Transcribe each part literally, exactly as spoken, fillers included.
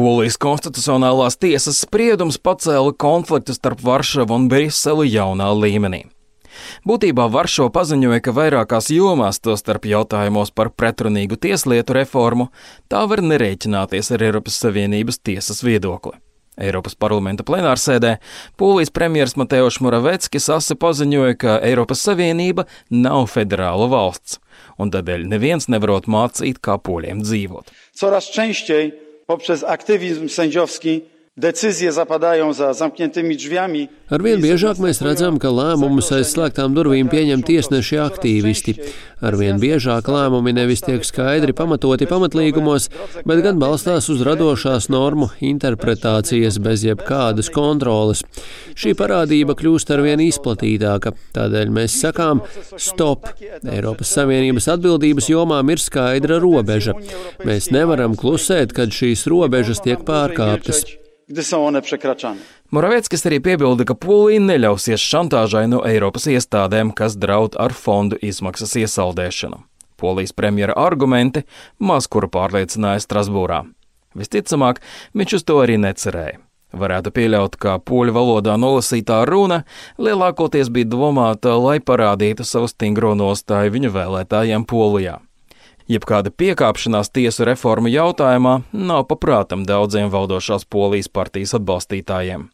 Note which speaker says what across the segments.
Speaker 1: Polijas konstitucionālās tiesas spriedums pacēla konfliktu starp Varšavu un Briseli jaunā līmenī. Būtībā Varšava paziņoja, ka vairākās jomās, tostarp jautājumos par pretrunīgu tieslietu reformu, tā var nerēķināties ar Eiropas Savienības tiesas viedokli. Eiropas parlamenta plenārsēdē Polijas premjers Mateusz Moraveckis asi paziņoja, ka Eiropas Savienība nav federāla valsts, un tādēļ neviens nevarot mācīt, kā poļiem dzīvot.
Speaker 2: Coraz częściej poprzez aktywizm sędziowski decyzje zapadają za zamkniętymi drzwiami.
Speaker 3: Arvien biežāk mēs redzam, ka lēmumus aiz slēgtām durvīm pieņem tiesneši aktīvisti. Arvien biežāk lēmumi nevis tiek skaidri pamatoti pamatlīgumos, bet gan balstās uz radošās normu interpretācijas bez jebkādas kontroles. Šī parādība kļūst arvien izplatītāka, tādēļ mēs sakām stop. Eiropas Savienības atbildības jomām ir skaidra robeža. Mēs nevaram klusēt, kad šīs robežas tiek pārkāptas.
Speaker 1: Moraveckis arī piebilda, ka Polija neļausies šantāžai no Eiropas iestādēm, kas draud ar fondu izmaksas iesaldēšanu. Polijas premjera argumenti maz kuru pārliecināja Strasbūrā. Visticamāk, viņš uz to arī necerēja. Varētu pieļaut, ka poļu valodā nolasītā runa lielākoties bija domāta, lai parādītu savu stingro nostāju viņu vēlētājiem Polijā. Jebkāda piekāpšanās tiesu reformu jautājumā nav paprātam daudziem valdošās Polijas partijas atbalstītājiem.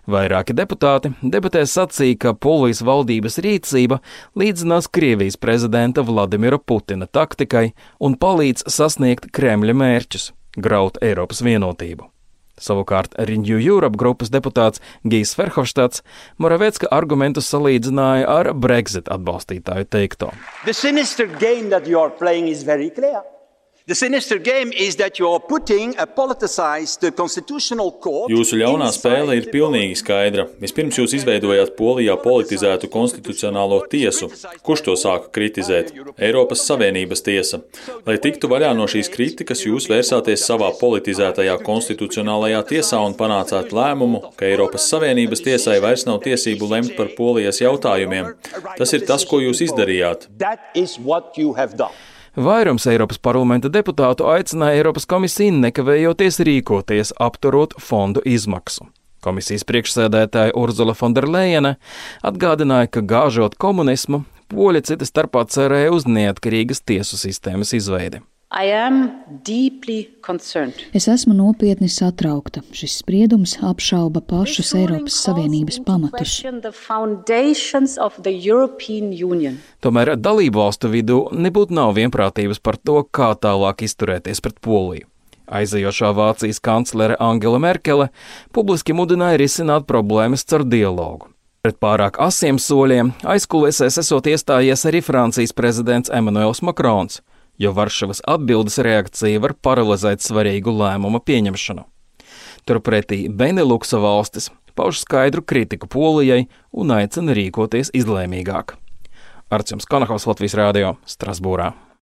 Speaker 1: Vairāki deputāti debatēs sacīja, ka Polijas valdības rīcība līdzinās Krievijas prezidenta Vladimira Putina taktikai un palīdz sasniegt Kremļa mērķus – graut Eiropas vienotību. Savukārt Renew Europe grupas deputāts Gijs Verhofstadts Moravecka argumentus salīdzināja ar Brexit atbalstītāju teikto.
Speaker 4: The sinister game that you are playing is very clear. The sinister game is that you are putting a politicized constitutional court.
Speaker 5: Jūsu ļaunā spēle ir pilnīgi skaidra. Vispirms jūs izveidojāt Polijā politizētu konstitucionālo tiesu. Kurš to sāka kritizēt? Eiropas Savienības tiesa. Lai tiktu vaļā no šīs kritikas, jūs vērsāties savā politizētajā konstitucionālajā tiesā un panācāt lēmumu, ka Eiropas Savienības tiesai vairs nav tiesību lemt par Polijas jautājumiem. Tas ir tas, ko jūs izdarījāt.
Speaker 4: That is what you have done.
Speaker 1: Vairums Eiropas parlamenta deputātu aicināja Eiropas komisiju nekavējoties rīkoties, apturot fondu izmaksu. Komisijas priekšsēdētāja Urzula Fonderlejene atgādināja, ka gāžot komunismu, poļi cita starpā cerēja uz neatkarīgas tiesu sistēmas izveidi.
Speaker 6: Es esmu nopietni satraukta. Šis spriedums apšauba pašus Eiropas Savienības pamatus.
Speaker 1: Tomēr dalību valstu vidū nebūtu nav vienprātības par to, kā tālāk izturēties pret Poliju. Aizejošā Vācijas kanclere Angela Merkele publiski mudināja risināt problēmas caur dialogu. Pret pārāk asiem soļiem aizkulisēs esot iestājies arī Francijas prezidents Emmanuels Macrons, jo Varšavas atbildes reakcija var paralizēt svarīgu lēmumu pieņemšanu. Turpretī Beneluksa valstis pauž skaidru kritiku Polijai un aicina rīkoties izlēmīgāk. Artjums Konakovs, Latvijas Rādio, Strasbūrā.